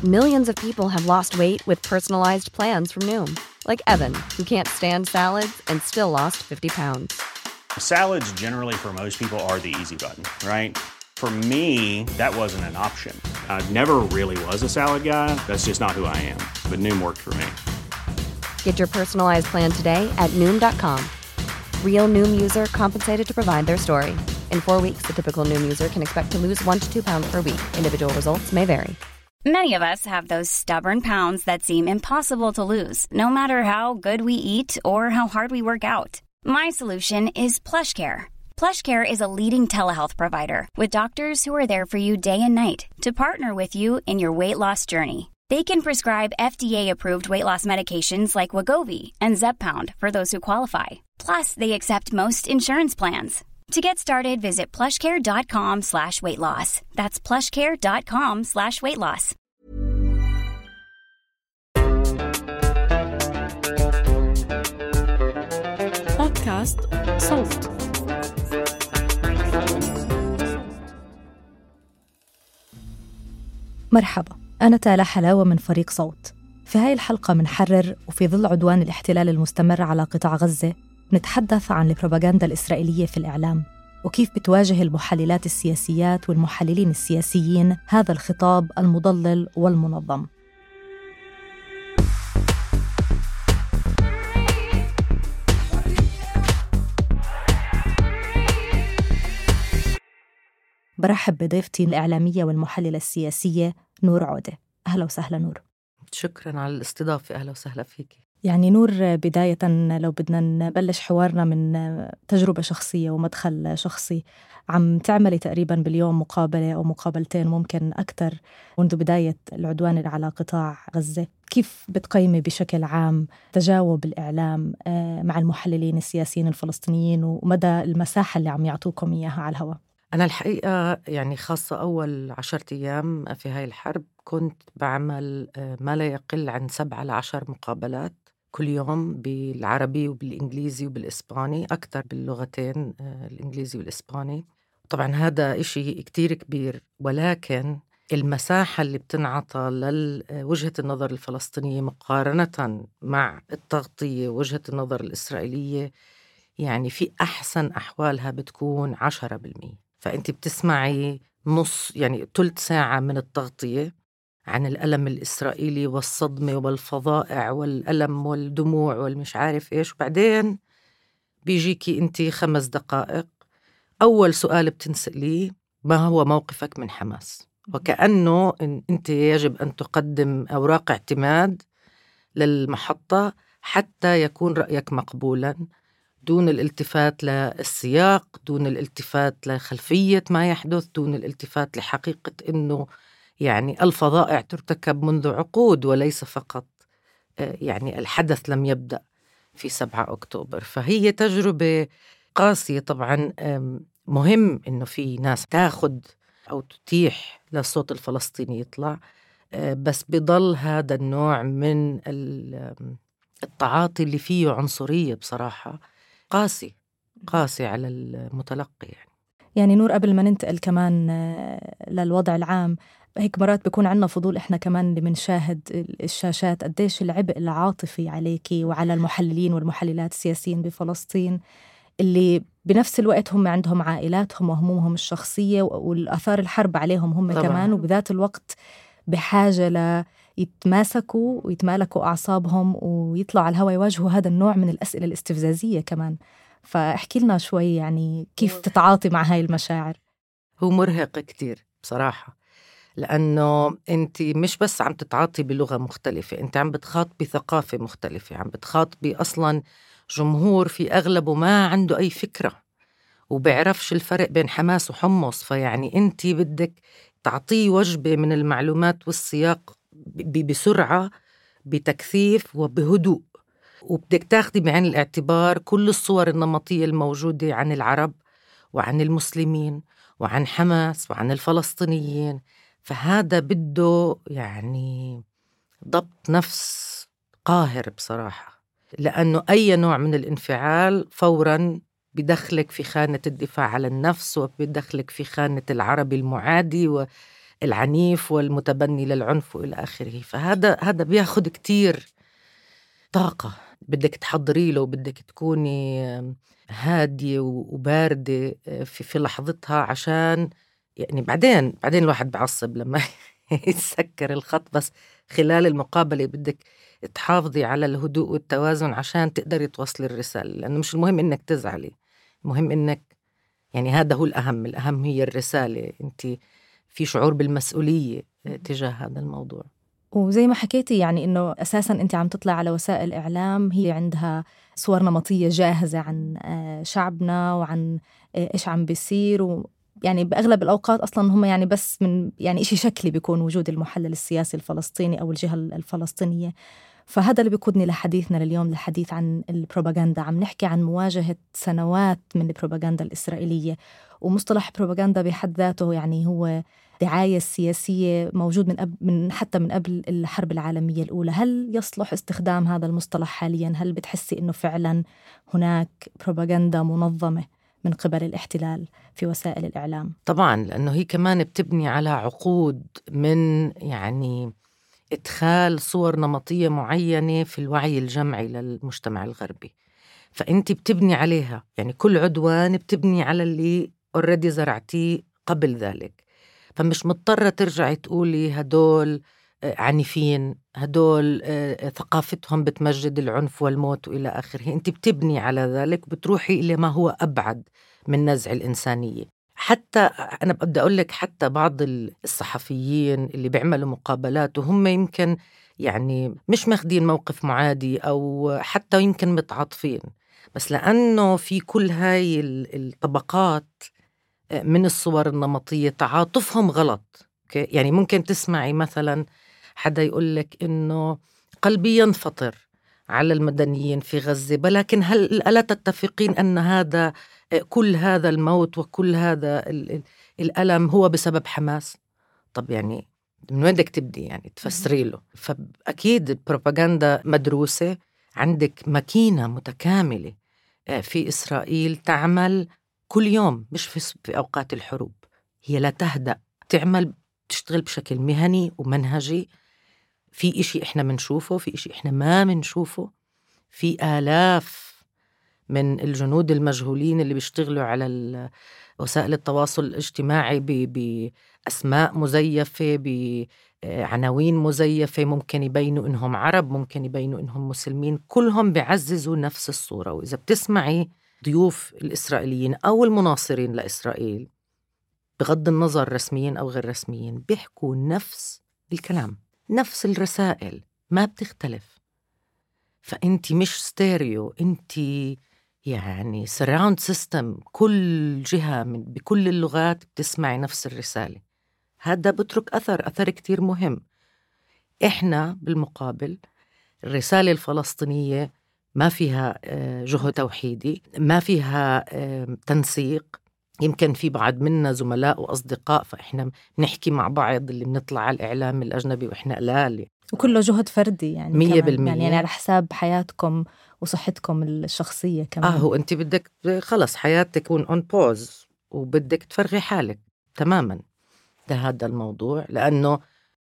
Millions of people have lost weight with personalized plans from Noom. Like Evan, who can't stand salads and still lost 50 pounds. Salads generally for most people are the easy button, right? For me, that wasn't an option. I never really was a salad guy. That's just not who I am. But Noom worked for me. Get your personalized plan today at Noom.com. Real Noom user compensated to provide their story. In 4 weeks, the typical Noom user can expect to lose 1 to 2 pounds per week. Individual results may vary. Many of us have those stubborn pounds that seem impossible to lose, no matter how good we eat or how hard we work out. My solution is PlushCare. PlushCare is a leading telehealth provider with doctors who are there for you day and night to partner with you in your weight loss journey. They can prescribe FDA-approved weight loss medications like Wegovy and Zepbound for those who qualify. Plus, they accept most insurance plans. To get started, visit plushcare.com/weightloss. That's plushcare.com/weightloss. بودكاست صوت. مرحبا، أنا تالا حلاوة من فريق صوت. في هاي الحلقة منحرر وفي ظل عدوان الاحتلال المستمر على قطاع غزة نتحدث عن البروباغندا الإسرائيلية في الإعلام وكيف بتواجه المحللات السياسيات والمحللين السياسيين هذا الخطاب المضلل والمنظم. برحب بضيفتي الإعلامية والمحللة السياسية نور عودة. أهلا وسهلا نور. شكراً على الاستضافة. أهلا وسهلا فيك. يعني نور، بداية لو بدنا نبلش حوارنا من تجربة شخصية ومدخل شخصي، عم تعملي تقريباً باليوم مقابلة أو مقابلتين ممكن أكتر منذ بداية العدوان على قطاع غزة. كيف بتقيمي بشكل عام تجاوب الإعلام مع المحللين السياسيين الفلسطينيين ومدى المساحة اللي عم يعطوكم إياها على الهواء؟ أنا الحقيقة يعني خاصة أول 10 أيام في هاي الحرب كنت بعمل ما لا يقل عن 7 ل 10 مقابلات كل يوم بالعربي وبالإنجليزي وبالإسباني، أكتر باللغتين الإنجليزي والإسباني. طبعا هذا إشي كتير كبير، ولكن المساحة اللي بتنعطى لوجهة النظر الفلسطينية مقارنة مع التغطية وجهة النظر الإسرائيلية يعني في أحسن أحوالها بتكون 10%. فأنت بتسمعي نص، يعني 3 ساعة من التغطية عن الألم الإسرائيلي والصدمة والفظائع والألم والدموع والمش عارف إيش، وبعدين بيجيكي أنت 5 دقائق أول سؤال بتنسأليه: ما هو موقفك من حماس؟ وكأنه أنت يجب أن تقدم أوراق اعتماد للمحطة حتى يكون رأيك مقبولاً، دون الالتفات للسياق، دون الالتفات لخلفية ما يحدث، دون الالتفات لحقيقة أنه يعني الفظائع ترتكب منذ عقود وليس فقط يعني الحدث لم يبدأ في 7 أكتوبر. فهي تجربة قاسية طبعا. مهم أنه في ناس تاخد أو تتيح للصوت الفلسطيني يطلع، بس بضل هذا النوع من التعاطي اللي فيه عنصرية بصراحة قاسي على المتلقي. يعني نور، قبل ما ننتقل كمان للوضع العام، هيك مرات بيكون عنا فضول إحنا كمان اللي منشاهد الشاشات قديش العبء العاطفي عليكي وعلى المحللين والمحللات السياسيين بفلسطين اللي بنفس الوقت هم عندهم عائلاتهم وهمومهم الشخصية والآثار الحرب عليهم هم طبعا. كمان وبذات الوقت بحاجة يتماسكوا ويتمالكوا أعصابهم ويطلعوا على الهواء يواجهوا هذا النوع من الأسئلة الاستفزازية كمان. فاحكي لنا شوي يعني كيف تتعاطي مع هاي المشاعر. هو مرهق كتير بصراحة، لأنه أنت مش بس عم تتعاطي بلغة مختلفة، أنت عم بتخاطبي ثقافة مختلفة، عم بتخاطبي أصلا جمهور في أغلبه ما عنده أي فكرة وبيعرفش الفرق بين حماس وحمص. فيعني أنت بدك تعطيه وجبة من المعلومات والسياق بسرعة، بتكثيف وبهدوء، وبدك تاخدي بعين الاعتبار كل الصور النمطية الموجودة عن العرب وعن المسلمين وعن حماس وعن الفلسطينيين. فهذا بده يعني ضبط نفس قاهر بصراحة، لأنه أي نوع من الانفعال فوراً بدخلك في خانة الدفاع على النفس وبدخلك في خانة العربي المعادي العنيف والمتبني للعنف وإلى آخره. فهذا بياخد كتير طاقة، بدك تحضري له، بدك تكوني هادية وباردة في لحظتها، عشان يعني بعدين الواحد بعصب لما يتسكر الخط، بس خلال المقابلة بدك تحافظي على الهدوء والتوازن عشان تقدري توصلي الرسالة، لأنه مش المهم إنك تزعلي، المهم إنك يعني هذا هو الأهم هي الرسالة. أنت في شعور بالمسؤولية تجاه هذا الموضوع. وزي ما حكيتي يعني إنه أساساً أنت عم تطلع على وسائل الإعلام هي عندها صور نمطية جاهزة عن شعبنا وعن إيش عم بيصير، يعني بأغلب الأوقات أصلاً هم يعني بس من يعني إشي شكلي بيكون وجود المحلل السياسي الفلسطيني أو الجهة الفلسطينية. فهذا اللي بيقودني لحديثنا لليوم، الحديث عن البروباغندا. عم نحكي عن مواجهة سنوات من البروباغندا الإسرائيلية، ومصطلح بروباغندا بحد ذاته يعني هو دعاية سياسية موجود حتى من قبل الحرب العالمية الأولى. هل يصلح استخدام هذا المصطلح حالياً؟ هل بتحسي إنه فعلاً هناك بروباغندا منظمة من قبل الاحتلال في وسائل الإعلام؟ طبعاً، لأنه هي كمان بتبني على عقود من يعني إدخال صور نمطية معينة في الوعي الجمعي للمجتمع الغربي، فأنت بتبني عليها. يعني كل عدوان بتبني على اللي already زرعتيه قبل ذلك، فمش مضطرة ترجعي تقولي هدول عنيفين، هدول ثقافتهم بتمجد العنف والموت وإلى آخره. أنت بتبني على ذلك وبتروحي إلى ما هو أبعد من نزع الإنسانية. حتى أنا بدي أقول لك، حتى بعض الصحفيين اللي بيعملوا مقابلات وهم يمكن يعني مش ماخدين موقف معادي أو حتى يمكن متعاطفين، بس لأنه في كل هاي الطبقات من الصور النمطية تعاطفهم غلط. يعني ممكن تسمعي مثلا حدا يقولك إنه قلبي ينفطر على المدنيين في غزة، ولكن هل ألا تتفقين أن هذا كل هذا الموت وكل هذا الألم هو بسبب حماس؟ طب يعني من وين بدك تبدي يعني تفسري له؟ فأكيد البروباغندا مدروسة. عندك ماكينة متكاملة في إسرائيل تعمل كل يوم، مش في أوقات الحروب، هي لا تهدأ، تشتغل بشكل مهني ومنهجي. في إشي إحنا منشوفه، في إشي إحنا ما منشوفه. في آلاف من الجنود المجهولين اللي بيشتغلوا على وسائل التواصل الاجتماعي بأسماء مزيفة، بعناوين مزيفة، ممكن يبينوا إنهم عرب، ممكن يبينوا إنهم مسلمين، كلهم بيعززوا نفس الصورة. وإذا بتسمعي ضيوف الإسرائيليين أو المناصرين لإسرائيل بغض النظر رسميين أو غير رسميين بيحكوا نفس الكلام، نفس الرسائل، ما بتختلف. فأنت مش ستيريو، أنت يعني سراوند سيستم، كل جهة بكل اللغات بتسمعي نفس الرسالة. هذا بترك أثر كتير مهم. إحنا بالمقابل الرسالة الفلسطينية ما فيها جهد توحيدي، ما فيها تنسيق. يمكن في بعض منا زملاء وأصدقاء، فإحنا نحكي مع بعض اللي بنطلع على الإعلام الأجنبي وإحنا قلال، وكله جهد فردي يعني 100%. يعني على حساب حياتكم وصحتكم الشخصية كمان. هو أنت بدك خلص حياتك تكون on pause وبدك تفرغي حالك تماما لهذا الموضوع، لأنه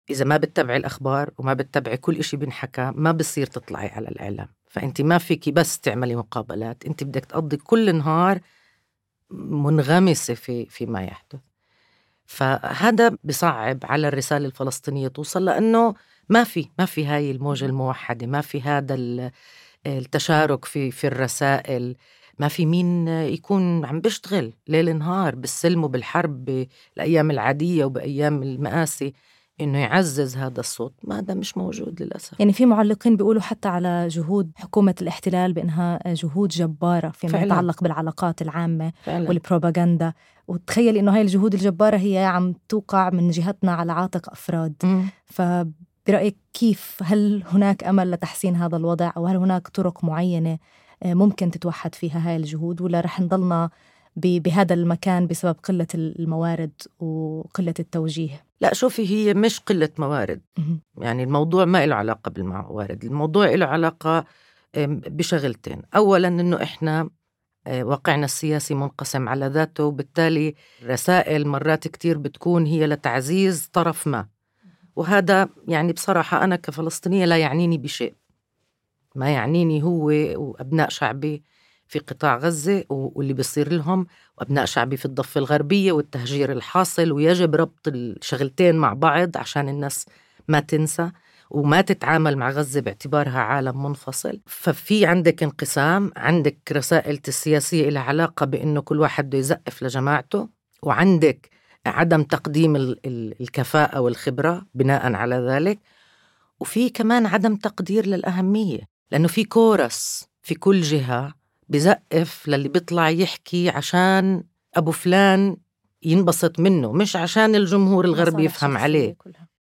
إذا ما بتتبعي الأخبار وما بتتبعي كل إشي بنحكى ما بصير تطلعي على الإعلام. فأنت ما فيكي بس تعملي مقابلات، أنت بدك تقضي كل نهار منغمسة في ما يحدث. فهذا بصعب على الرسالة الفلسطينية توصل، لأنه ما في هاي الموجة الموحدة، ما في هذا التشارك في الرسائل، ما في مين يكون عم بيشتغل ليل نهار بالسلم وبالحرب بالأيام العادية وبأيام المآسي إنه يعزز هذا الصوت. ما هذا مش موجود للأسف. يعني في معلقين بيقولوا حتى على جهود حكومة الاحتلال بأنها جهود جبارة فيما يتعلق بالعلاقات العامة فعلا. والبروباغندا. وتخيل إنه هاي الجهود الجبارة هي عم توقع من جهتنا على عاتق أفراد. فبرأيك كيف، هل هناك أمل لتحسين هذا الوضع، أو هل هناك طرق معينة ممكن تتوحد فيها هاي الجهود، ولا رح نضلنا بهذا المكان بسبب قلة الموارد وقلة التوجيه؟ لا شوفي، هي مش قلة موارد. يعني الموضوع ما له علاقة بالموارد، الموضوع له علاقة بشغلتين. أولا إنه إحنا واقعنا السياسي منقسم على ذاته، وبالتالي رسائل مرات كتير بتكون هي لتعزيز طرف ما، وهذا يعني بصراحة أنا كفلسطينية لا يعنيني بشيء. ما يعنيني هو وأبناء شعبي في قطاع غزة واللي بيصير لهم، وأبناء شعبي في الضفة الغربية والتهجير الحاصل، ويجب ربط الشغلتين مع بعض عشان الناس ما تنسى وما تتعامل مع غزة باعتبارها عالم منفصل. ففي عندك انقسام، عندك رسائل السياسية إلى علاقة بأنه كل واحد بده يزقف لجماعته، وعندك عدم تقديم الكفاءة والخبرة بناء على ذلك، وفي كمان عدم تقدير للأهمية، لأنه في كورس في كل جهة بزقف للي بيطلع يحكي عشان أبو فلان ينبسط منه، مش عشان الجمهور الغربي يفهم عليه.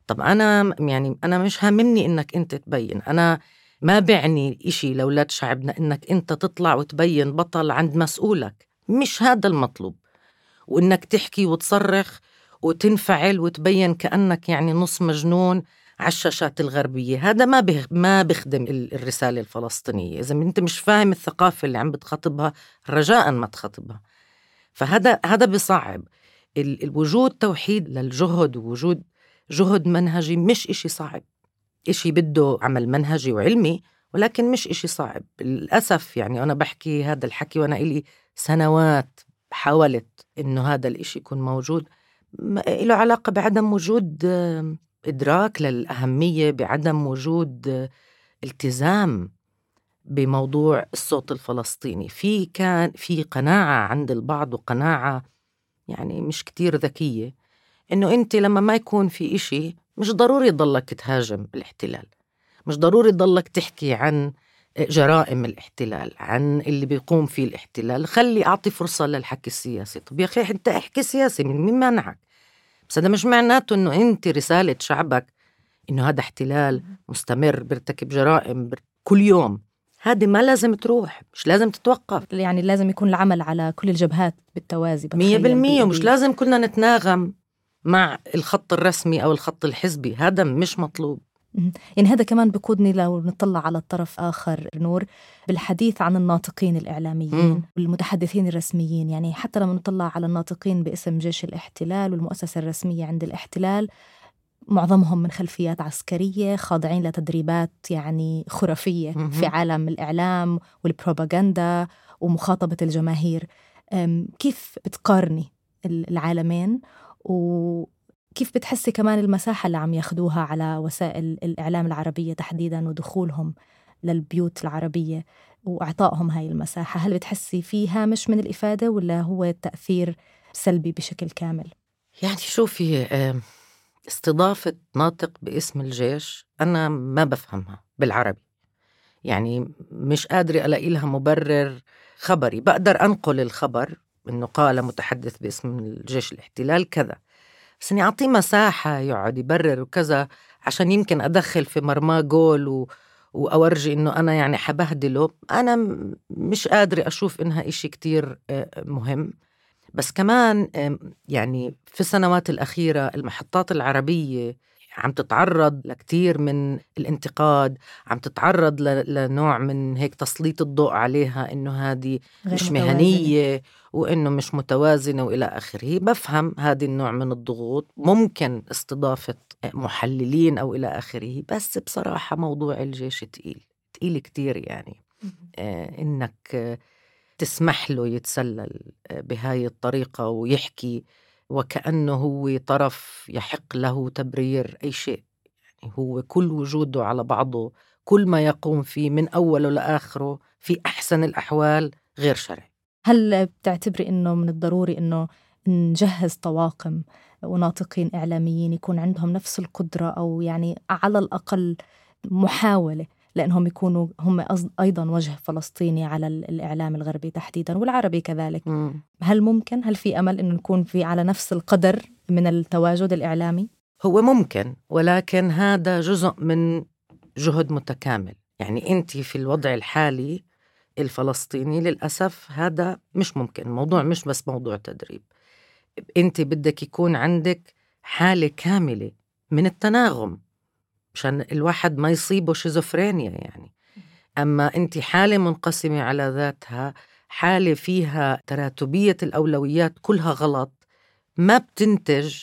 طب أنا يعني أنا مش هاممني إنك أنت تبين، أنا ما بعني إشي لأولاد شعبنا إنك أنت تطلع وتبين بطل عند مسؤولك، مش هذا المطلوب، وإنك تحكي وتصرخ وتنفعل وتبين كأنك يعني نص مجنون على الشاشات الغربية. هذا ما بيخدم الرسالة الفلسطينية. إذا أنت مش فاهم الثقافة اللي عم بتخاطبها، رجاء ما تخاطبها. فهذا بصعب الوجود توحيد للجهد، ووجود جهد منهجي مش إشي صعب، إشي بده عمل منهجي وعلمي، ولكن مش إشي صعب للأسف. يعني أنا بحكي هذا الحكي وأنا إلي سنوات حاولت إنه هذا الإشي يكون موجود، له علاقة بعدم وجود إدراك للأهمية، بعدم وجود التزام بموضوع الصوت الفلسطيني. كان في قناعة عند البعض، وقناعة يعني مش كتير ذكية، إنه أنت لما ما يكون في إشي مش ضروري ضلك تهاجم الاحتلال، مش ضروري ضلك تحكي عن جرائم الاحتلال، عن اللي بيقوم فيه الاحتلال. خلي أعطي فرصة للحكي السياسي. طب يا أخي أنت احكي سياسي، مين منعك؟ بس هذا مش معناته إنه أنت رسالة شعبك إنه هذا احتلال مستمر بيرتكب جرائم كل يوم. هذه ما لازم تروح، مش لازم تتوقف. يعني لازم يكون العمل على كل الجبهات بالتوازي 100%. ومش لازم كلنا نتناغم مع الخط الرسمي أو الخط الحزبي، هذا مش مطلوب. يعني هذا كمان بقودني لو نطلع على الطرف آخر نور، بالحديث عن الناطقين الإعلاميين والمتحدثين الرسميين. يعني حتى لما نطلع على الناطقين باسم جيش الاحتلال والمؤسسة الرسمية عند الاحتلال، معظمهم من خلفيات عسكرية، خاضعين لتدريبات يعني خرافية في عالم الإعلام والبروباغندا ومخاطبة الجماهير. كيف بتقارني العالمين، وكيف بتحسي كمان المساحة اللي عم ياخدوها على وسائل الإعلام العربية تحديداً، ودخولهم للبيوت العربية وإعطائهم هاي المساحة؟ هل بتحسي فيه هامش من الإفادة، ولا هو تأثير سلبي بشكل كامل؟ يعني شوفي، استضافة ناطق باسم الجيش أنا ما بفهمها بالعربي، يعني مش قادرة ألاقي لها مبرر خبري. بقدر أنقل الخبر إنه قال متحدث باسم الجيش الاحتلال كذا، بس إني أعطيه مساحة يقعد يبرر وكذا عشان يمكن أدخل في مرماه جول وأورجي إنه أنا يعني حبهدله. أنا مش قادرة أشوف إنها إشي كتير مهم. بس كمان يعني في السنوات الأخيرة المحطات العربية عم تتعرض لكتير من الانتقاد، عم تتعرض لنوع من هيك تسليط الضوء عليها إنه هذه مش مهنية وإنه مش متوازنة وإلى آخره. بفهم هذه النوع من الضغوط، ممكن استضافة محللين أو إلى آخره، بس بصراحة موضوع الجيش تقيل كتير. يعني إنك تسمح له يتسلل بهاي الطريقة ويحكي وكأنه هو طرف يحق له تبرير أي شيء. يعني هو كل وجوده على بعضه، كل ما يقوم فيه من أوله لآخره في أحسن الأحوال غير شرعي. هل بتعتبري إنه من الضروري إنه نجهز طواقم وناطقين إعلاميين يكون عندهم نفس القدرة، أو يعني على الأقل محاولة لأنهم يكونوا هم أيضاً وجه فلسطيني على الإعلام الغربي تحديداً والعربي كذلك؟ هل ممكن، هل في أمل إنه نكون في على نفس القدر من التواجد الإعلامي؟ هو ممكن، ولكن هذا جزء من جهد متكامل. يعني أنت في الوضع الحالي الفلسطيني للأسف هذا مش ممكن. الموضوع مش بس موضوع تدريب، أنت بدك يكون عندك حالة كاملة من التناغم عشان الواحد ما يصيبه شيزوفرينيا يعني. أما أنت حالة منقسمة على ذاتها، حالة فيها تراتبية الأولويات كلها غلط، ما بتنتج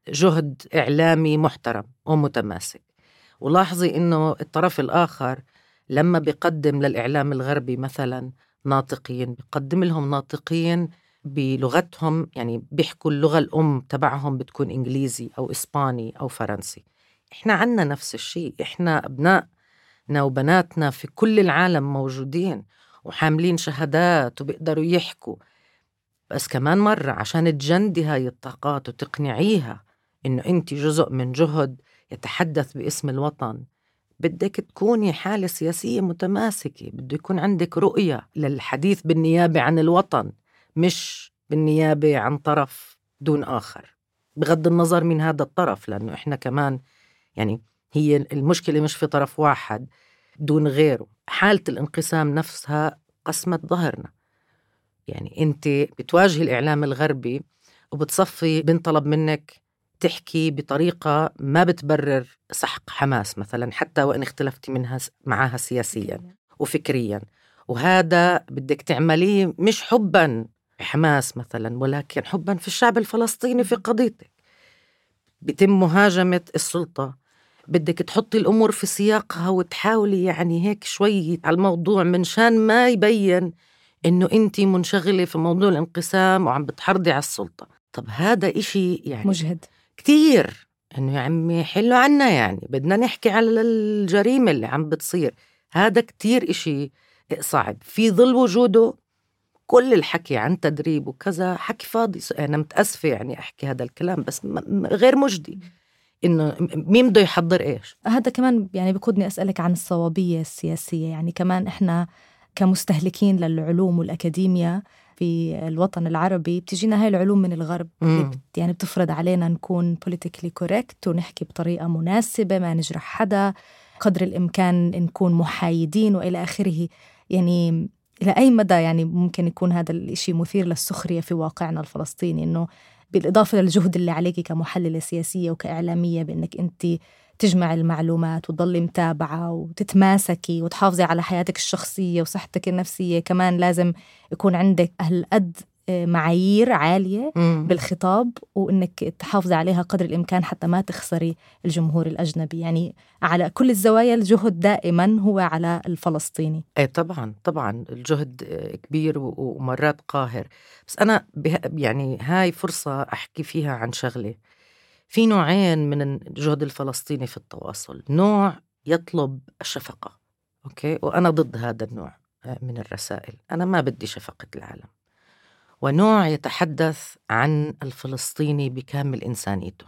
جهد إعلامي محترم ومتماسك. ولاحظي إنه الطرف الآخر لما بيقدم للإعلام الغربي مثلا ناطقين، بيقدم لهم ناطقين بلغتهم، يعني بيحكوا اللغة الأم تبعهم بتكون إنجليزي أو إسباني أو فرنسي. إحنا عنا نفس الشيء، إحنا أبنائنا وبناتنا في كل العالم موجودين وحاملين شهادات وبيقدروا يحكوا، بس كمان مرة عشان تجندي هاي الطاقات وتقنعيها إنه أنت جزء من جهد يتحدث باسم الوطن، بدك تكوني حالة سياسية متماسكة، بده يكون عندك رؤية للحديث بالنيابة عن الوطن، مش بالنيابة عن طرف دون آخر، بغض النظر من هذا الطرف، لأنه إحنا كمان يعني هي المشكلة مش في طرف واحد دون غيره. حالة الانقسام نفسها قسمت ظهرنا. يعني أنت بتواجهي الإعلام الغربي وبتصفي بنطلب منك تحكي بطريقة ما بتبرر سحق حماس مثلا، حتى وإن اختلفتي معها سياسيا وفكريا، وهذا بدك تعمليه مش حبا حماس مثلا، ولكن حبا في الشعب الفلسطيني في قضيتك. بتم مهاجمة السلطة، بدك تحطي الأمور في سياقها وتحاولي يعني هيك شوي على الموضوع من شان ما يبين إنه أنتي منشغلة في موضوع الانقسام وعم بتحرضي على السلطة. طب هذا إشي يعني مجهد كتير، إنه يا عمي حلو عنا، يعني بدنا نحكي على الجريمة اللي عم بتصير. هذا كتير إشي صعب في ظل وجوده كل الحكي عن تدريب وكذا حكي فاضي. أنا متأسفة يعني أحكي هذا الكلام، بس غير مجدي. إنه مين بده يحضر إيش؟ هذا كمان يعني بقودني أسألك عن الصوابية السياسية. يعني كمان إحنا كمستهلكين للعلوم والأكاديميا في الوطن العربي بتجينا هاي العلوم من الغرب، يعني بتفرض علينا نكون politically correct ونحكي بطريقة مناسبة، ما نجرح حدا، قدر الإمكان نكون محايدين وإلى آخره. يعني إلى أي مدى يعني ممكن يكون هذا الإشي مثير للسخرية في واقعنا الفلسطيني، إنه بالإضافة للجهد اللي عليكي كمحللة سياسية وكإعلامية بأنك أنت تجمع المعلومات وتضلي متابعة وتتماسكي وتحافظي على حياتك الشخصية وصحتك النفسية، كمان لازم يكون عندك هالقد معايير عالية بالخطاب وإنك تحافظي عليها قدر الإمكان حتى ما تخسري الجمهور الأجنبي. يعني على كل الزوايا الجهد دائما هو على الفلسطيني. ايه طبعا الجهد كبير ومرات قاهر. بس أنا يعني هاي فرصة أحكي فيها عن شغلة. في نوعين من الجهد الفلسطيني في التواصل، نوع يطلب الشفقة، أوكي، وأنا ضد هذا النوع من الرسائل، أنا ما بدي شفقة العالم، ونوع يتحدث عن الفلسطيني بكامل إنسانيته،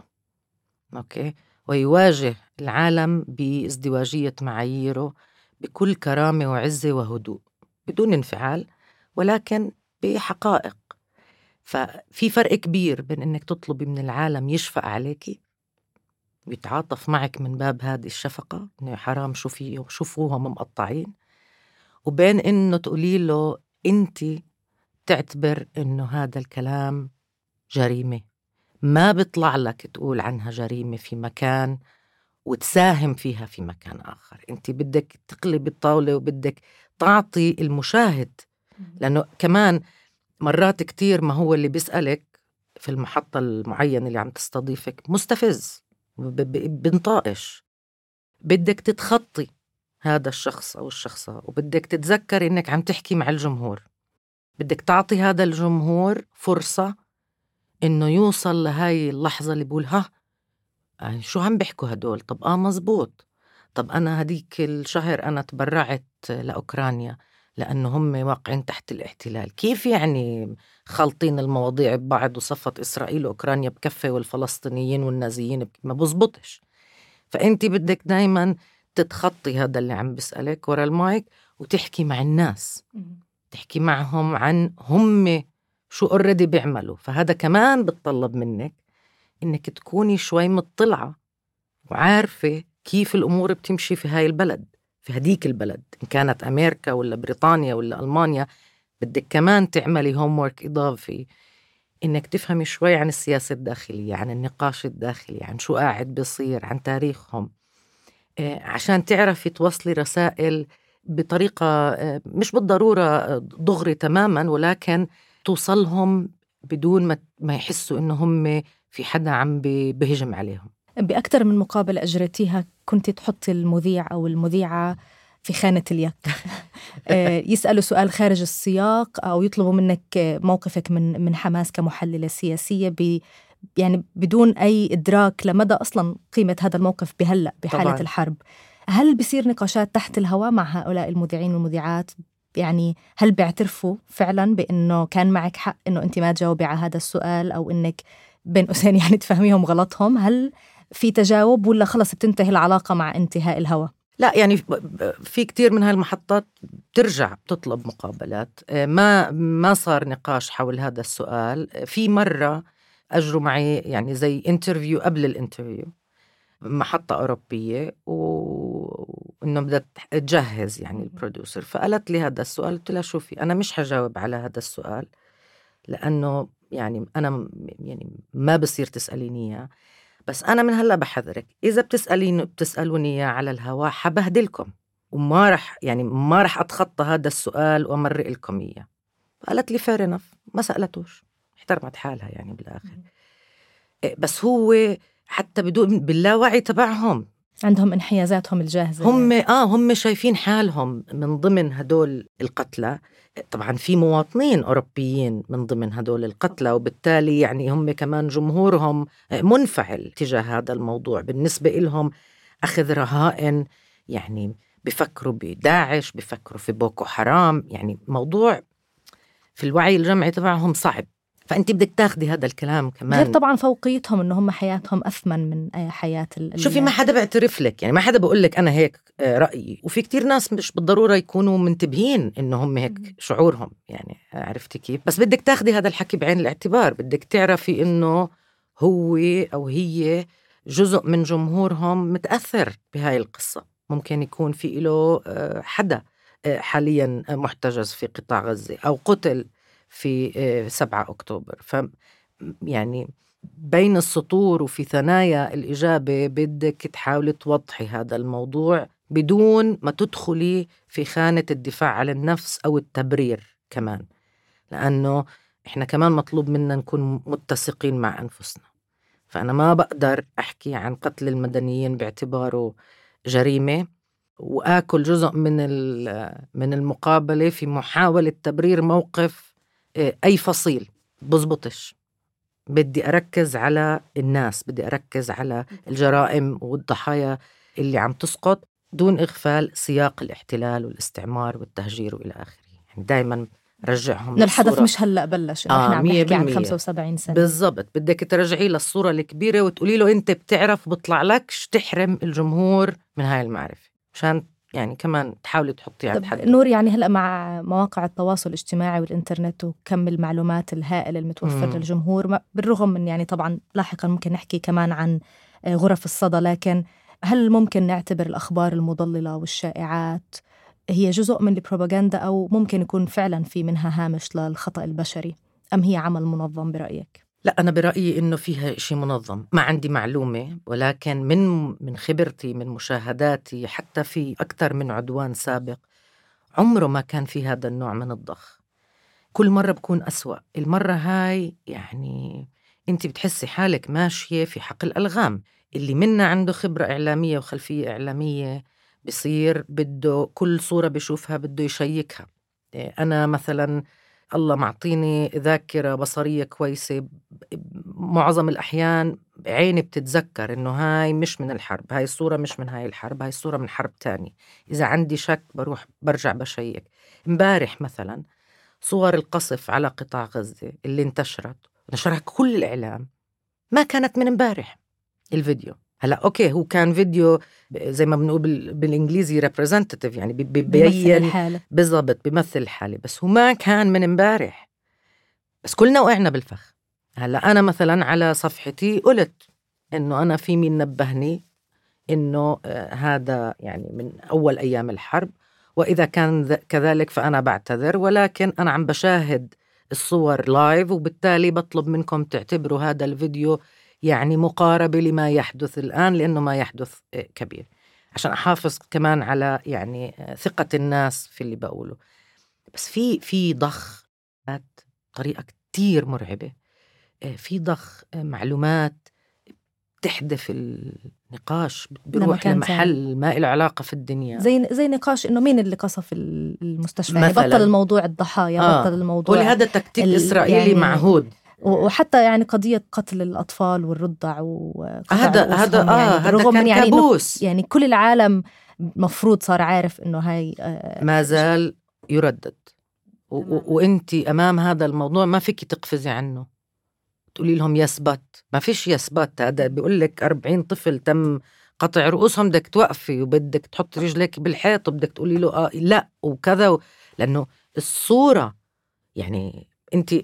أوكي، ويواجه العالم بازدواجية معاييره بكل كرامة وعزة وهدوء بدون انفعال، ولكن بحقائق. ففي فرق كبير بين إنك تطلبي من العالم يشفق عليكي ويتعاطف معك من باب هذه الشفقة، إنه حرام شوفوهم مقطعين، وبين إنه تقولي له أنت تعتبر إنه هذا الكلام جريمة، ما بيطلع لك تقول عنها جريمة في مكان وتساهم فيها في مكان آخر. أنت بدك تقلب الطاولة وبدك تعطي المشاهد، لأنه كمان مرات كتير ما هو اللي بيسألك في المحطة المعينة اللي عم تستضيفك مستفز بنطائش، بدك تتخطي هذا الشخص أو الشخصة، وبدك تتذكر إنك عم تحكي مع الجمهور، بدك تعطي هذا الجمهور فرصة إنه يوصل لهاي اللحظة اللي بقول يعني شو عم بيحكوا هدول؟ طب مزبوط، طب أنا هديك الشهر أنا تبرعت لأوكرانيا لأنه هم واقعين تحت الاحتلال. كيف يعني خلطين المواضيع ببعض وصفت إسرائيل وأوكرانيا بكفة والفلسطينيين والنازيين ما بزبطش. فأنت بدك دايما تتخطي هذا اللي عم بسألك ورا المايك وتحكي مع الناس، تحكي معهم عن هم شو already بيعملوا. فهذا كمان بتطلب منك إنك تكوني شوي مطلعة وعارفة كيف الأمور بتمشي في هاي البلد، في هديك البلد، إن كانت أمريكا ولا بريطانيا ولا ألمانيا. بدك كمان تعملي homework إضافي، إنك تفهمي شوي عن السياسة الداخلية، عن النقاش الداخلي، عن شو قاعد بيصير، عن تاريخهم، عشان تعرفي توصلي رسائل بطريقة مش بالضرورة دغري تماماً، ولكن توصلهم بدون ما يحسوا إنه هم في حدا عم بهجم عليهم. بأكثر من مقابلة أجرتيها كنت تحطي المذيع أو المذيعة في خانة اليك يسألوا سؤال خارج السياق أو يطلبوا منك موقفك من حماس كمحللة سياسية يعني بدون أي إدراك لمدى أصلاً قيمة هذا الموقف بهلأ بحالة طبعاً. الحرب. هل بيصير نقاشات تحت الهواء مع هؤلاء المذيعين والمذيعات؟ يعني هل بيعترفوا فعلاً بأنه كان معك حق أنه أنت ما تجاوبي على هذا السؤال، أو أنك بين قوسين يعني تفهميهم غلطهم؟ هل في تجاوب ولا خلص بتنتهي العلاقة مع انتهاء الهواء؟ لا، يعني في كتير من هالمحطات بترجع بتطلب مقابلات. ما صار نقاش حول هذا السؤال. في مرة أجروا معي يعني زي انترفيو قبل الانترفيو، محطة أوروبية، وإنه بدها تجهز يعني البروديوسر، فقالت لي هذا السؤال. قلت لها شوفي، أنا مش هجاوب على هذا السؤال لأنه يعني أنا يعني ما بصير تسأليني إياه، بس أنا من هلأ بحذرك، إذا بتسألوني إياه على الهواء حبهدلكم، وما رح أتخطى هذا السؤال وأمرق لكم إياه. قالت لي fair enough، ما سألتوش، احترمت حالها يعني بالآخر. بس هو حتى بدون باللاوعي تبعهم عندهم انحيازاتهم الجاهزة، هم شايفين حالهم من ضمن هدول القتلى. طبعا في مواطنين أوروبيين من ضمن هدول القتلى، وبالتالي يعني هم كمان جمهورهم منفعل تجاه هذا الموضوع. بالنسبة لهم أخذ رهائن، يعني بفكروا بداعش، بفكروا في بوكو حرام، يعني موضوع في الوعي الجمعي تبعهم صعب. فأنت بدك تاخدي هذا الكلام كمان، غير طبعا فوقيتهم إنه هم حياتهم أثمن من حياة شوفي ما حدا بيعترف لك، يعني ما حدا بقول لك أنا هيك رأيي، وفي كتير ناس مش بالضرورة يكونوا منتبهين إنه هم هيك شعورهم، يعني عرفتي كيف؟ بس بدك تاخدي هذا الحكي بعين الاعتبار، بدك تعرفي إنه هو أو هي جزء من جمهورهم متأثر بهاي القصة. ممكن يكون في له حدا حاليا محتجز في قطاع غزة أو قتل في 7 أكتوبر. يعني بين السطور وفي ثنايا الإجابة بدك تحاولي توضحي هذا الموضوع بدون ما تدخلي في خانة الدفاع عن النفس أو التبرير كمان، لأنه إحنا كمان مطلوب منا نكون متسقين مع أنفسنا. فأنا ما بقدر أحكي عن قتل المدنيين باعتباره جريمة وآكل جزء من المقابلة في محاولة تبرير موقف أي فصيل. بزبطش، بدي أركز على الناس، بدي أركز على الجرائم والضحايا اللي عم تسقط دون إغفال سياق الاحتلال والاستعمار والتهجير وإلى آخره. يعني دايما رجعهم الحدث مش هلأ بلش، إحنا عم نحكي عن 75 سنة بالضبط. بدك ترجعي للصورة الكبيرة وتقولي له أنت بتعرف بطلع لكش تحرم الجمهور من هاي المعرفة، مشان يعني كمان تحاولي تحطي على الحد. نور، يعني هلأ مع مواقع التواصل الاجتماعي والإنترنت وكم المعلومات الهائل المتوفر للجمهور، بالرغم من يعني طبعا لاحقا ممكن نحكي كمان عن غرف الصدى، لكن هل ممكن نعتبر الأخبار المضللة والشائعات هي جزء من البروباغندا، أو ممكن يكون فعلا في منها هامش للخطأ البشري، أم هي عمل منظم برأيك؟ لا، أنا برأيي إنه فيها إشي منظم. ما عندي معلومة، ولكن من خبرتي، من مشاهداتي، حتى في أكثر من عدوان سابق عمره ما كان في هذا النوع من الضخ. كل مرة بكون أسوأ. المرة هاي يعني أنت بتحسي حالك ماشية في حقل ألغام. اللي منا عنده خبرة إعلامية وخلفية إعلامية بصير بده كل صورة بيشوفها بده يشيكها. أنا مثلا الله معطيني ذاكرة بصرية كويسة، معظم الأحيان عيني بتتذكر إنه هاي مش من الحرب، هاي الصورة مش من هاي الحرب، هاي الصورة من حرب تاني. إذا عندي شك برجع بشيك. امبارح مثلا صور القصف على قطاع غزة اللي نشرها كل الإعلام ما كانت من امبارح. الفيديو هلا أوكي، هو كان فيديو زي ما بنقول بالإنجليزي representative، يعني بيبين بالضبط، بيمثل الحالة، بس هو ما كان من امبارح. بس كلنا وقعنا بالفخ. هلا أنا مثلا على صفحتي قلت إنه أنا في مين نبهني إنه هذا يعني من أول أيام الحرب، وإذا كان كذلك فأنا بعتذر، ولكن أنا عم بشاهد الصور لايف، وبالتالي بطلب منكم تعتبروا هذا الفيديو يعني مقاربة لما يحدث الآن، لأنه ما يحدث كبير. عشان أحافظ كمان على يعني ثقة الناس في اللي بقوله. بس في ضخ بطريقة كتير مرعبة، في ضخ معلومات تحدث النقاش، بيروح لمحل ما له علاقة في الدنيا، زي نقاش إنه مين اللي قصف المستشفى، يعني مثلاً. بطل الموضوع الضحايا، بطل الموضوع، ولهذا تكتيك إسرائيلي يعني معهود. وحتى يعني قضية قتل الأطفال والرضع وقطع هذا يعني رغم من يعني كابوس، يعني كل العالم مفروض صار عارف إنه هاي ما زال يردد. وإنتي أمام هذا الموضوع ما فيك تقفزي عنه تقولي لهم يثبت، ما فيش يثبت. هذا بيقول لك 40 طفل تم قطع رؤوسهم، بدك توقفي وبدك تحط رجلك بالحيط وبدك تقولي له لا وكذا لأنه الصورة يعني أنت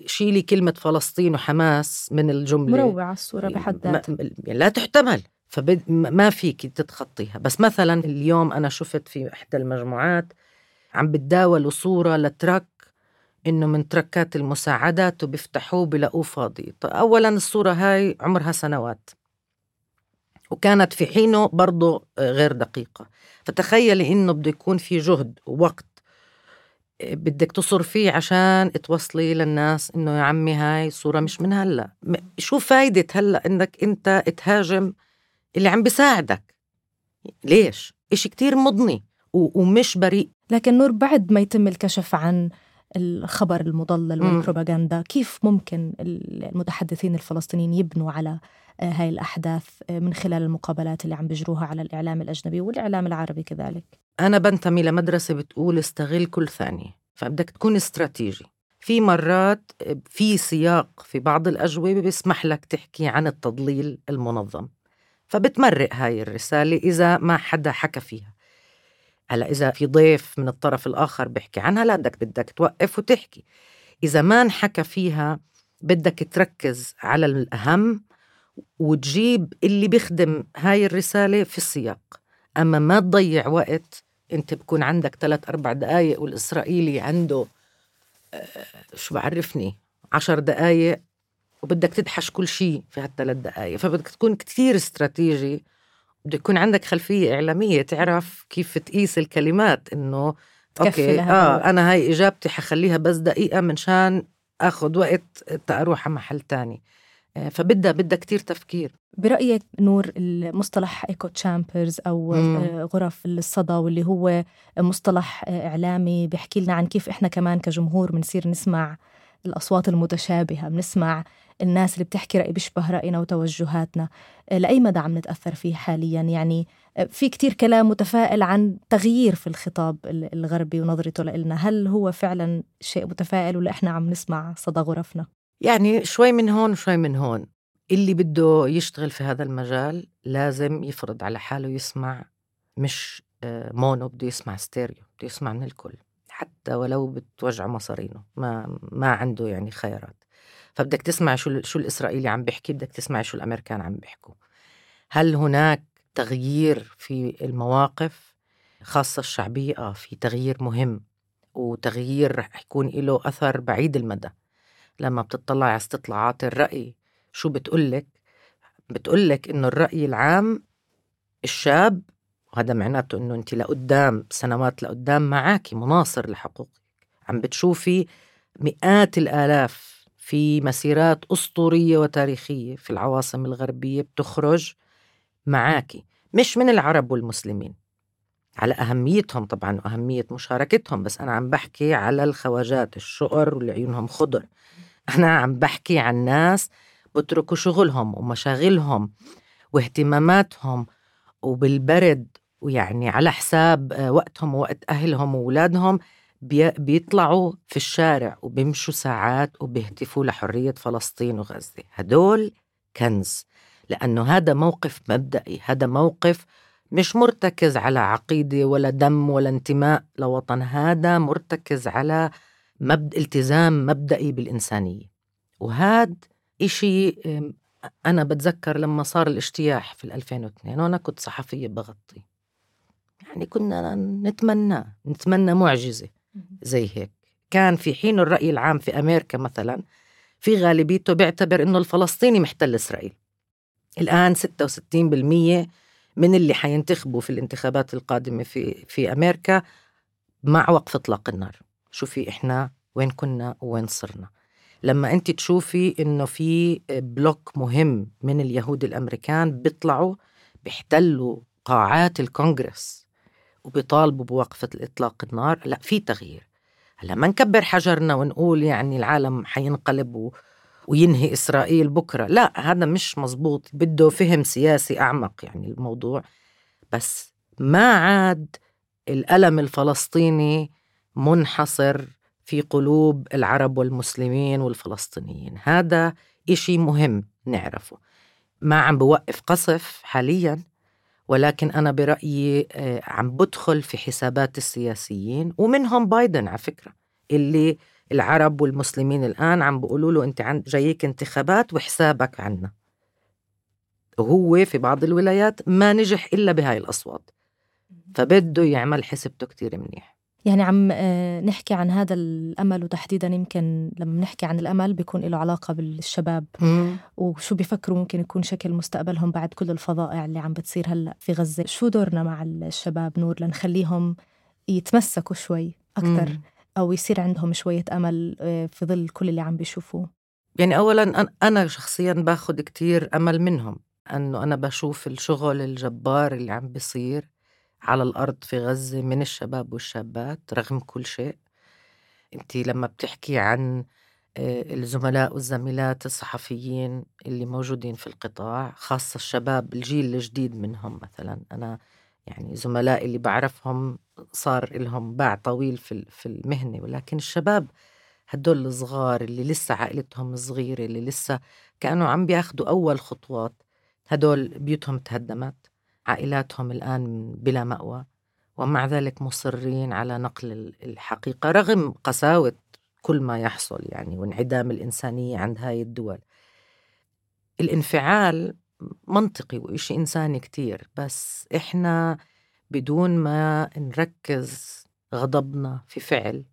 شيلي كلمة فلسطين وحماس من الجملة، مروعة الصورة بحد ذاتها، لا تحتمل، فما فيك تتخطيها. بس مثلا اليوم أنا شفت في إحدى المجموعات عم بتداولوا صورة لترك إنه من تركات المساعدات وبيفتحوه بلاقوه فاضي. أولا الصورة هاي عمرها سنوات وكانت في حينه برضو غير دقيقة، فتخيلي إنه بده يكون في جهد ووقت بدك تصر فيه عشان توصلي للناس إنه يا عمي هاي صورة مش من هلأ. شو فايدة هلأ إنك أنت تهاجم اللي عم بيساعدك؟ ليش؟ إشي كتير مضني ومش بريء. لكن نور، بعد ما يتم الكشف عن الخبر المضلل والبروباغندا، كيف ممكن المتحدثين الفلسطينيين يبنوا على هاي الأحداث من خلال المقابلات اللي عم بيجروها على الإعلام الأجنبي والإعلام العربي كذلك؟ أنا بنتمي لمدرسة بتقول استغل كل ثانية، فبدك تكون استراتيجي. في مرات في سياق في بعض الأجوبة بيسمح لك تحكي عن التضليل المنظم، فبتمرق هاي الرسالة إذا ما حدا حكى فيها. هلا إذا في ضيف من الطرف الآخر بيحكي عنها، لا بدك توقف وتحكي. إذا ما انحكى فيها بدك تركز على الأهم وتجيب اللي بيخدم هاي الرسالة في السياق. أما ما تضيع وقت، أنت بكون عندك 3-4 دقايق والإسرائيلي عنده شو بعرفني 10 دقايق وبدك تدحش كل شيء في هال3 دقايق. فبدك تكون كتير استراتيجي، بدك يكون عندك خلفية إعلامية تعرف كيف تقيس الكلمات، إنه أوكي أنا هاي إجابتي حخليها بس دقيقة منشان أخذ وقت تأروح على محل تاني. فبدأ كتير تفكير. برأيك نور، المصطلح إيكو تشامبرز أو غرف الصدى، واللي هو مصطلح إعلامي بيحكي لنا عن كيف إحنا كمان كجمهور بنصير نسمع الأصوات المتشابهة، بنسمع الناس اللي بتحكي رأي بيشبه رأينا وتوجهاتنا، لأي مدى عم نتأثر فيه حاليا؟ يعني في كتير كلام متفائل عن تغيير في الخطاب الغربي ونظرته لإلنا، هل هو فعلا شيء متفائل ولا إحنا عم نسمع صدى غرفنا؟ يعني شوي من هون وشوي من هون. اللي بده يشتغل في هذا المجال لازم يفرض على حاله يسمع مش مونو، بده يسمع ستيريو، بده يسمع من الكل حتى ولو بتوجع مصارينه، ما عنده يعني خيارات. فبدك تسمع شو الإسرائيلي عم بيحكي، بدك تسمع شو الأمريكان عم بيحكوا. هل هناك تغيير في المواقف خاصة الشعبية؟ في تغيير مهم، وتغيير رح يكون له أثر بعيد المدى. لما بتطلع على استطلاعات الرأي شو بتقولك إنه الرأي العام الشاب، وهذا معناته إنه أنت لقدام سنوات لقدام معاكي مناصر لحقوقك، عم بتشوفي مئات الآلاف في مسيرات أسطورية وتاريخية في العواصم الغربية بتخرج معاكي، مش من العرب والمسلمين، على أهميتهم طبعا وأهمية مشاركتهم، بس أنا عم بحكي على الخواجات الشقر واللي عيونهم خضر. أنا عم بحكي عن ناس بتركوا شغلهم ومشاغلهم واهتماماتهم وبالبرد، ويعني على حساب وقتهم ووقت أهلهم وأولادهم بيطلعوا في الشارع وبيمشوا ساعات وبيهتفوا لحرية فلسطين وغزة. هدول كنز، لأنه هذا موقف مبدئي، هذا موقف مش مرتكز على عقيدة ولا دم ولا انتماء لوطن، هذا مرتكز على التزام مبدئي بالإنسانية. وهذا إشي أنا بتذكر لما صار الاجتياح في 2002 وأنا كنت صحفية بغطي، يعني كنا نتمنى معجزة زي هيك. كان في حين الرأي العام في أمريكا مثلا في غالبيته بيعتبر إنه الفلسطيني محتل إسرائيل. الآن 66% من اللي حينتخبوا في الانتخابات القادمة في أمريكا مع وقف إطلاق النار. شوفي إحنا وين كنا وين صرنا. لما أنت تشوفي إنه في بلوك مهم من اليهود الأمريكان بيطلعوا بيحتلوا قاعات الكونغرس وبيطالبوا بوقفة إطلاق النار، لا في تغيير. هلا ما نكبر حجرنا ونقول يعني العالم حينقلب وينهي إسرائيل بكرة، لا هذا مش مزبوط، بده فهم سياسي أعمق يعني الموضوع. بس ما عاد الألم الفلسطيني منحصر في قلوب العرب والمسلمين والفلسطينيين، هذا إشي مهم نعرفه. ما عم بوقف قصف حاليا، ولكن أنا برأيي عم بدخل في حسابات السياسيين ومنهم بايدن على فكرة، اللي العرب والمسلمين الآن عم بيقولوا له أنت جايك انتخابات وحسابك عنا، وهو في بعض الولايات ما نجح إلا بهاي الأصوات، فبده يعمل حسبته كتير منيح. يعني عم نحكي عن هذا الأمل، وتحديدا يمكن لما نحكي عن الأمل بيكون له علاقة بالشباب وشو بيفكروا ممكن يكون شكل مستقبلهم بعد كل الفظائع اللي عم بتصير هلأ في غزة. شو دورنا مع الشباب نور لنخليهم يتمسكوا شوي أكتر أو يصير عندهم شوية أمل في ظل كل اللي عم بيشوفوه؟ يعني أولا أنا شخصيا باخد كتير أمل منهم، أنه أنا بشوف الشغل الجبار اللي عم بيصير على الأرض في غزة من الشباب والشابات رغم كل شيء. أنتي لما بتحكي عن الزملاء والزميلات الصحفيين اللي موجودين في القطاع، خاصة الشباب الجيل الجديد منهم، مثلا أنا يعني زملاء اللي بعرفهم صار لهم باع طويل في المهنة، ولكن الشباب هدول الصغار اللي لسه عائلتهم صغيرة، اللي لسه كانوا عم بياخدوا أول خطوات، هدول بيوتهم تهدمت، عائلاتهم الآن بلا مأوى، ومع ذلك مصرين على نقل الحقيقة رغم قساوة كل ما يحصل يعني وانعدام الإنسانية عند هاي الدول. الانفعال منطقي وإشي إنساني كتير، بس إحنا بدون ما نركز غضبنا في فعل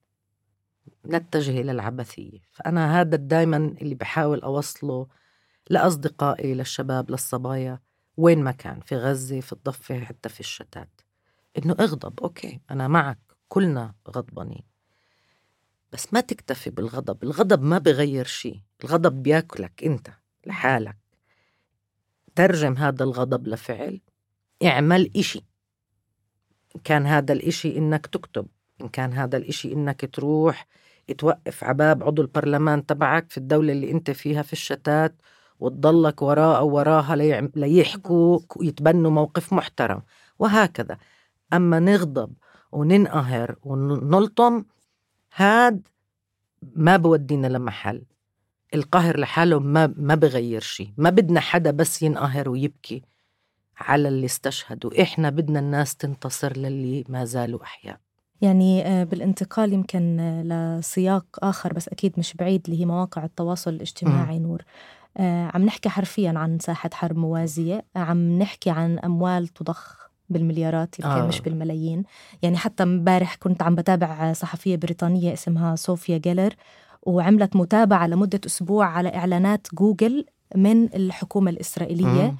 نتجه إلى العبثية. فأنا هذا دايما اللي بحاول أوصله لأصدقائي، للشباب، للصبايا، وين ما كان في غزة، في الضفة، حتى في الشتات، إنه اغضب، أوكي أنا معك، كلنا غضبانين، بس ما تكتفي بالغضب. الغضب ما بغير شيء، الغضب بياكلك أنت لحالك. ترجم هذا الغضب لفعل، اعمل إشي، إن كان هذا الإشي إنك تكتب، إن كان هذا الإشي إنك تروح توقف عباب عضو البرلمان تبعك في الدولة اللي أنت فيها في الشتات وتضلك وراء أو وراها ليحكوا ويتبنوا موقف محترم، وهكذا. أما نغضب وننقهر ونلطم، هاد ما بودينا لمحل. القهر لحاله ما بغير شيء. ما بدنا حدا بس ينقهر ويبكي على اللي استشهدوا، إحنا بدنا الناس تنتصر للي ما زالوا أحياء. يعني بالانتقال يمكن لسياق آخر بس أكيد مش بعيد، اللي هي مواقع التواصل الاجتماعي نور، عم نحكي حرفيا عن ساحة حرب موازية، عم نحكي عن أموال تضخ بالمليارات يمكن مش بالملايين. يعني حتى امبارح كنت عم بتابع صحفية بريطانية اسمها صوفيا جيلر، وعملت متابعة لمدة أسبوع على إعلانات جوجل من الحكومة الإسرائيلية،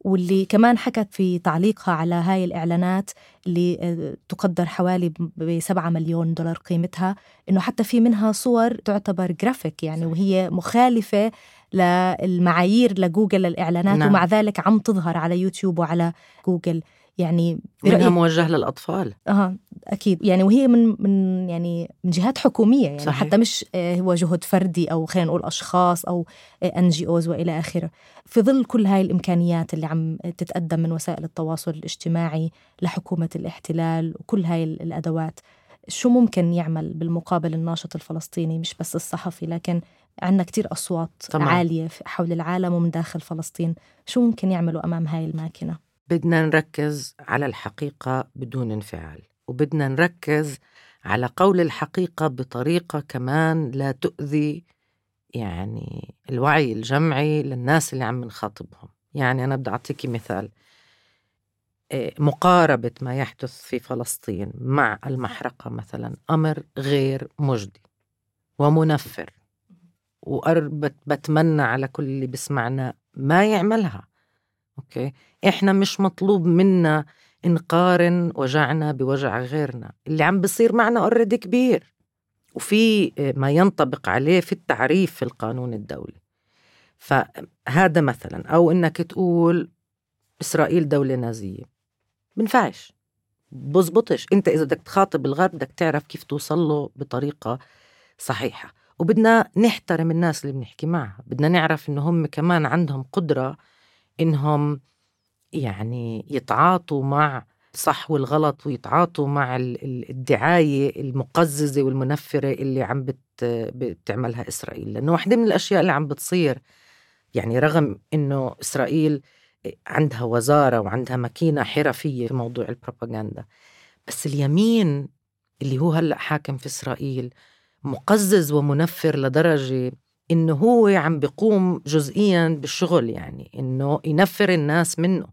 واللي كمان حكت في تعليقها على هاي الإعلانات اللي تقدر حوالي ب$7 مليون قيمتها، إنه حتى في منها صور تعتبر جرافيك يعني، وهي مخالفة للمعايير لجوجل للإعلانات. نعم. ومع ذلك عم تظهر على يوتيوب وعلى جوجل، يعني منها موجه للأطفال. أكيد يعني، وهي من يعني من جهات حكومية يعني. صحيح. حتى مش هو جهد فردي أو خلينا نقول أشخاص أو NGOs وإلى آخره. في ظل كل هاي الإمكانيات اللي عم تتقدم من وسائل التواصل الاجتماعي لحكومة الاحتلال وكل هاي الأدوات، شو ممكن يعمل بالمقابل الناشط الفلسطيني؟ مش بس الصحفي، لكن عندنا كتير أصوات طبعا عالية حول العالم ومن داخل فلسطين. شو ممكن يعملوا أمام هاي الماكينة؟ بدنا نركز على الحقيقة بدون انفعال، وبدنا نركز على قول الحقيقة بطريقة كمان لا تؤذي يعني الوعي الجمعي للناس اللي عم نخاطبهم. يعني أنا بدي أعطيكي مثال، مقاربة ما يحدث في فلسطين مع المحرقة مثلا أمر غير مجدي ومنفر، بتمنى على كل اللي بسمعنا ما يعملها. أوكي، إحنا مش مطلوب منا نقارن وجعنا بوجع غيرنا. اللي عم بصير معنا already كبير، وفي ما ينطبق عليه في التعريف في القانون الدولي. فهذا مثلا، أو إنك تقول إسرائيل دولة نازية، منفعش، بزبطش. أنت إذا بدك تخاطب الغرب بدك تعرف كيف توصل له بطريقة صحيحة. وبدنا نحترم الناس اللي بنحكي معها، بدنا نعرف إنه هم كمان عندهم قدرة إنهم يعني يتعاطوا مع صح والغلط، ويتعاطوا مع الدعاية المقززة والمنفرة اللي عم بتعملها إسرائيل. لأنه واحدة من الأشياء اللي عم بتصير، يعني رغم إنه إسرائيل عندها وزارة وعندها ماكينة حرفية في موضوع البروباغندا، بس اليمين اللي هو هلأ حاكم في إسرائيل مقزز ومنفر لدرجة إنه هو عم بيقوم جزئياً بالشغل، يعني إنه ينفر الناس منه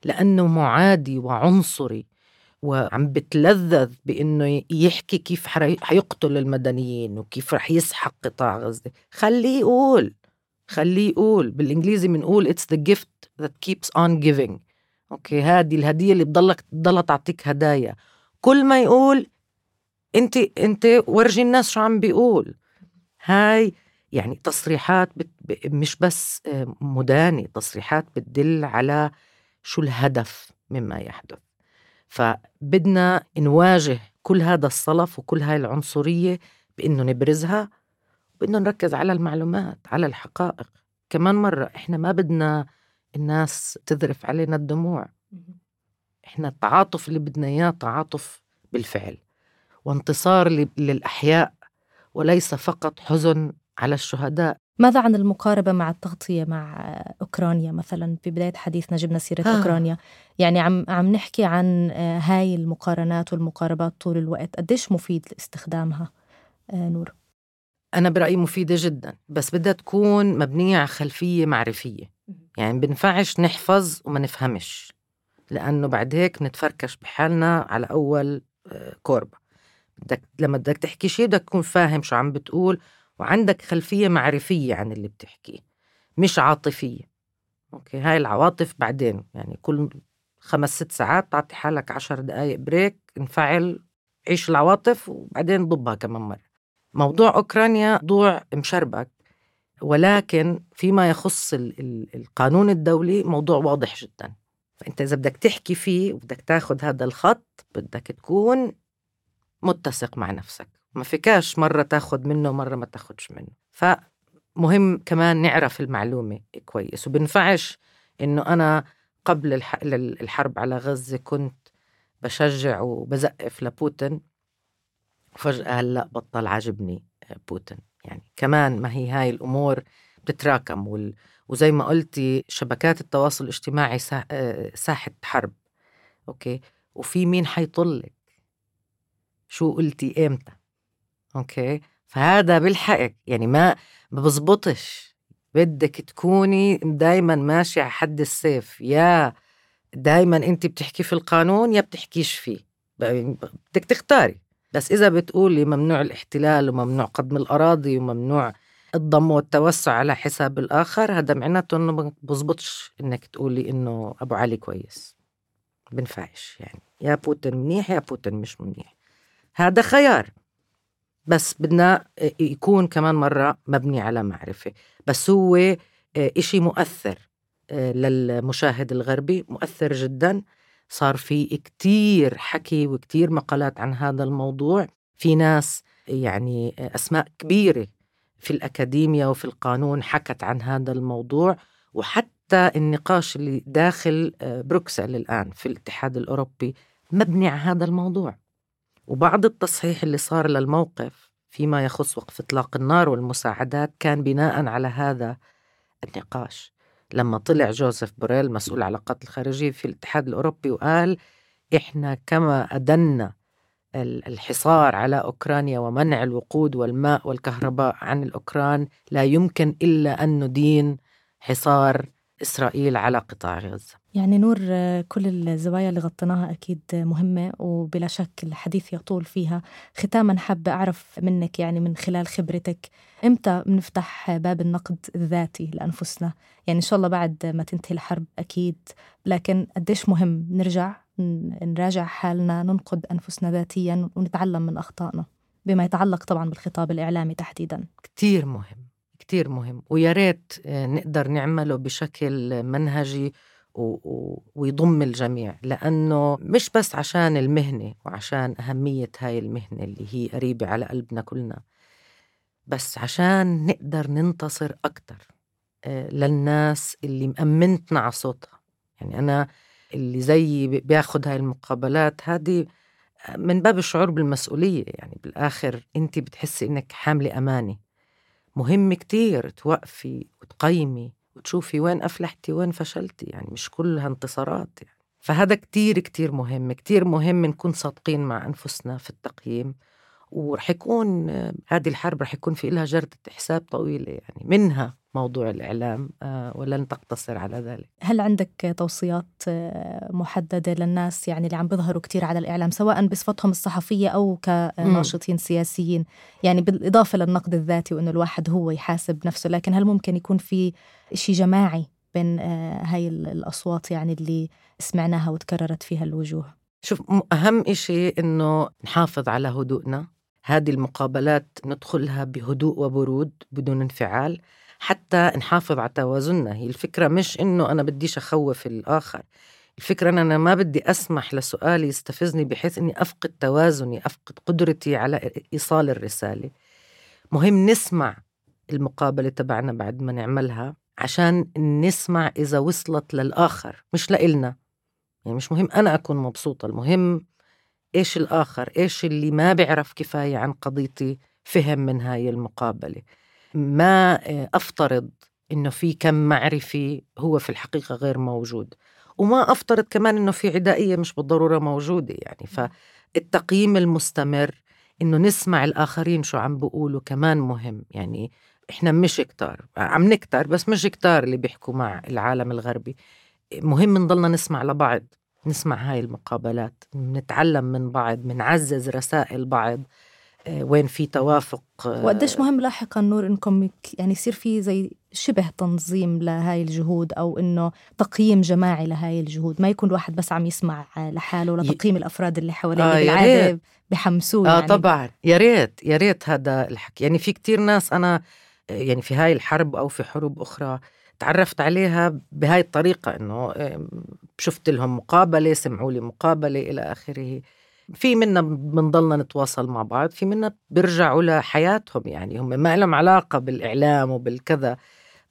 لأنه معادي وعنصري، وعم بتلذذ بإنه يحكي كيف حيقتل المدنيين وكيف رح يسحق قطاع غزة. خليه يقول. بالإنجليزي منقول it's the gift that keeps on giving. أوكي، هذه الهدية اللي بتضلها تعطيك هدايا. كل ما يقول انت ورجي الناس شو عم بيقول. هاي يعني تصريحات مش بس مدانة، تصريحات بتدل على شو الهدف مما يحدث. فبدنا نواجه كل هذا الصلف وكل هاي العنصرية بإنه نبرزها، وبإنه نركز على المعلومات، على الحقائق. كمان مرة إحنا ما بدنا الناس تذرف علينا الدموع. إحنا التعاطف اللي بدنا إياه تعاطف بالفعل وانتصار للأحياء، وليس فقط حزن على الشهداء. ماذا عن المقاربة مع التغطية مع أوكرانيا مثلا؟ في بداية حديثنا جبنا سيرة أوكرانيا، يعني عم نحكي عن هاي المقارنات والمقاربات طول الوقت. قديش مفيد استخدامها نور؟ أنا برأيي مفيدة جدا، بس بدها تكون مبنية على خلفية معرفية. يعني بنفعش نحفظ وما نفهمش، لأنه بعد هيك نتفركش بحالنا على أول كوربة. لما بدك تحكي شيء بدك تكون فاهم شو عم بتقول، وعندك خلفية معرفية عن اللي بتحكيه، مش عاطفية. أوكي، هاي العواطف بعدين، يعني كل 5-6 ساعات تعطي حالك 10 دقايق بريك، انفعل، عيش العواطف وبعدين ضبها كمان مرة. موضوع أوكرانيا موضوع مشربك، ولكن فيما يخص القانون الدولي موضوع واضح جدا. فأنت إذا بدك تحكي فيه وبدك تاخد هذا الخط بدك تكون متسق مع نفسك، ما فيكاش مرة تاخد منه مرة ما تاخدش منه. فمهم كمان نعرف المعلومة كويس. وبنفعش إنه أنا قبل الحرب على غزة كنت بشجع وبزقف لبوتين، وفجأة هلأ بطل عاجبني بوتين. يعني كمان ما هي هاي الأمور بتتراكم، وزي ما قلتي شبكات التواصل الاجتماعي ساحة حرب. أوكي، وفي مين حيطلك شو قلتي إمتى. أوكي، فهذا بالحق يعني ما بزبطش. بدك تكوني دايما ماشي على حد السيف، يا دايما انت بتحكي في القانون يا بتحكيش فيه، بدك تختاري. بس إذا بتقولي ممنوع الاحتلال وممنوع قضم الأراضي وممنوع الضم والتوسع على حساب الآخر، هذا معناته إنه ما بزبطش إنك تقولي إنه أبو علي كويس. بنفعش، يعني يا بوتين منيح يا بوتين مش منيح، هذا خيار. بس بدنا يكون كمان مرة مبني على معرفة. بس هو إشي مؤثر للمشاهد الغربي، مؤثر جدا. صار في كتير حكي وكتير مقالات عن هذا الموضوع. في ناس يعني أسماء كبيرة في الأكاديمية وفي القانون حكت عن هذا الموضوع. وحتى النقاش اللي داخل بروكسل الآن في الاتحاد الأوروبي مبني على هذا الموضوع. وبعض التصحيح اللي صار للموقف فيما يخص وقف إطلاق النار والمساعدات كان بناء على هذا النقاش. لما طلع جوزيف بوريل مسؤول العلاقات الخارجية في الاتحاد الأوروبي وقال إحنا كما أدنا الحصار على أوكرانيا ومنع الوقود والماء والكهرباء عن الأوكران، لا يمكن إلا أن ندين حصار إسرائيل على قطاع غزة. يعني نور، كل الزوايا اللي غطيناها أكيد مهمة وبلا شك الحديث يطول فيها. ختاما حابة أعرف منك، يعني من خلال خبرتك، إمتى بنفتح باب النقد الذاتي لأنفسنا؟ يعني إن شاء الله بعد ما تنتهي الحرب أكيد، لكن قديش مهم نراجع حالنا، ننقد أنفسنا ذاتيا ونتعلم من أخطائنا، بما يتعلق طبعا بالخطاب الإعلامي تحديدا. كتير مهم، كتير مهم، ويا ريت نقدر نعمله بشكل منهجي ويضم الجميع، لأنه مش بس عشان المهنة وعشان أهمية هاي المهنة اللي هي قريبة على قلبنا كلنا، بس عشان نقدر ننتصر أكتر للناس اللي مأمنتنا على صوتها. يعني أنا اللي زي بياخد هاي المقابلات هذه من باب الشعور بالمسؤولية، يعني بالآخر أنت بتحسي إنك حاملة أمانة. مهم كتير توقفي وتقيمي وتشوفي وين أفلحتي وين فشلتي، يعني مش كلها انتصارات يعني. فهذا كتير كتير مهم، كتير مهم نكون صادقين مع أنفسنا في التقييم. ورح يكون هذه الحرب رح يكون في لها جردة حساب طويلة، يعني منها موضوع الإعلام، ولن تقتصر على ذلك. هل عندك توصيات محددة للناس يعني اللي عم بيظهروا كتير على الإعلام، سواء بصفتهم الصحفية أو كناشطين سياسيين، يعني بالإضافة للنقد الذاتي وإنه الواحد هو يحاسب نفسه، لكن هل ممكن يكون في شيء جماعي بين هاي الأصوات يعني اللي سمعناها وتكررت فيها الوجوه؟ شوف، أهم إشي إنه نحافظ على هدوءنا. هذه المقابلات ندخلها بهدوء وبرود بدون انفعال حتى نحافظ على توازننا. هي الفكرة مش إنه أنا بديش أخوف الآخر، الفكرة إن أنا ما بدي أسمح لسؤالي يستفزني بحيث إني أفقد توازني، أفقد قدرتي على إيصال الرسالة. مهم نسمع المقابلة تبعنا بعد ما نعملها عشان نسمع إذا وصلت للآخر مش لإلنا. يعني مش مهم أنا أكون مبسوطة، المهم إيش الآخر، إيش اللي ما بيعرف كفاية عن قضيتي فهم من هاي المقابلة. ما أفترض إنه في كم معرفي هو في الحقيقة غير موجود، وما أفترض كمان إنه في عدائية مش بالضرورة موجودة. يعني فالتقييم المستمر، إنه نسمع الآخرين شو عم بيقولوا كمان مهم. يعني إحنا مش كتار، عم نكتر بس مش كتار اللي بيحكوا مع العالم الغربي. مهم نضلنا نسمع لبعض، نسمع هاي المقابلات، نتعلم من بعض، منعزز رسائل بعض وين في توافق. وقديش مهم لاحقا نور إنكم يعني يصير في زي شبه تنظيم لهاي الجهود، أو إنه تقييم جماعي لهاي الجهود، ما يكون الواحد بس عم يسمع لحاله ولا تقييم الأفراد اللي حواليه بالعادة بحمسوه. يعني طبعا يا ريت هذا الحكي. يعني في كتير ناس أنا يعني في هاي الحرب أو في حروب أخرى تعرفت عليها بهاي الطريقة، إنه شفت لهم مقابلة، سمعوا لي مقابلة إلى آخره. في منا بنضلنا نتواصل مع بعض، في منا بيرجعوا لحياتهم، يعني هم ما لهم علاقة بالإعلام وبالكذا،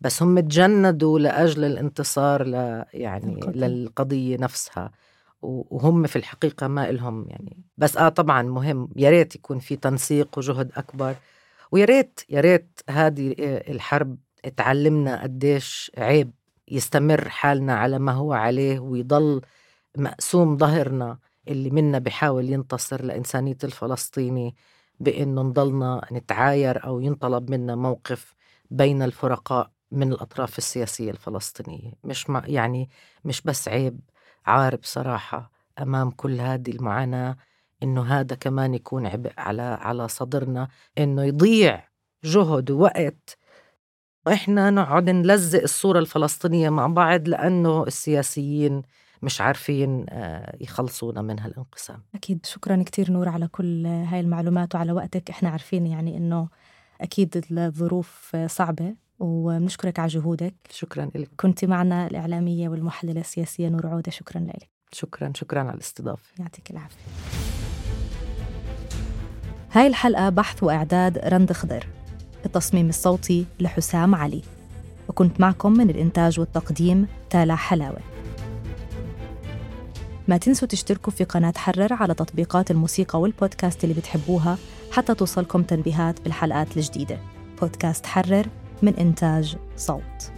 بس هم تجندوا لأجل الانتصار يعني للقضية نفسها، وهم في الحقيقة ما إلهم يعني. بس طبعا مهم، يا ريت يكون في تنسيق وجهد أكبر، ويا ريت هذه الحرب اتعلمنا قديش عيب يستمر حالنا على ما هو عليه ويضل مقسوم ظهرنا اللي منا بيحاول ينتصر لإنسانية الفلسطيني، بأنه نضلنا نتعاير أو ينطلب منا موقف بين الفرقاء من الأطراف السياسية الفلسطينية. يعني مش بس عيب، عار بصراحة أمام كل هذه المعاناة، إنه هذا كمان يكون عبء على صدرنا، إنه يضيع جهد ووقت وإحنا نقعد نلزق الصورة الفلسطينية مع بعض لأنه السياسيين مش عارفين يخلصونا من هالانقسام. أكيد. شكرا كتير نور على كل هاي المعلومات وعلى وقتك. إحنا عارفين يعني إنه أكيد الظروف صعبة، ونشكرك على جهودك. شكرا لك. كنت معنا الإعلامية والمحللة السياسية نور عودة. شكرا لك. شكرا على الاستضافة. يعطيك العافية. هاي الحلقة بحث وإعداد رند خضر، التصميم الصوتي لحسام علي، وكنت معكم من الإنتاج والتقديم تالا حلاوة. ما تنسوا تشتركوا في قناة حرر على تطبيقات الموسيقى والبودكاست اللي بتحبوها حتى توصلكم تنبيهات بالحلقات الجديدة. بودكاست حرر من إنتاج صوت.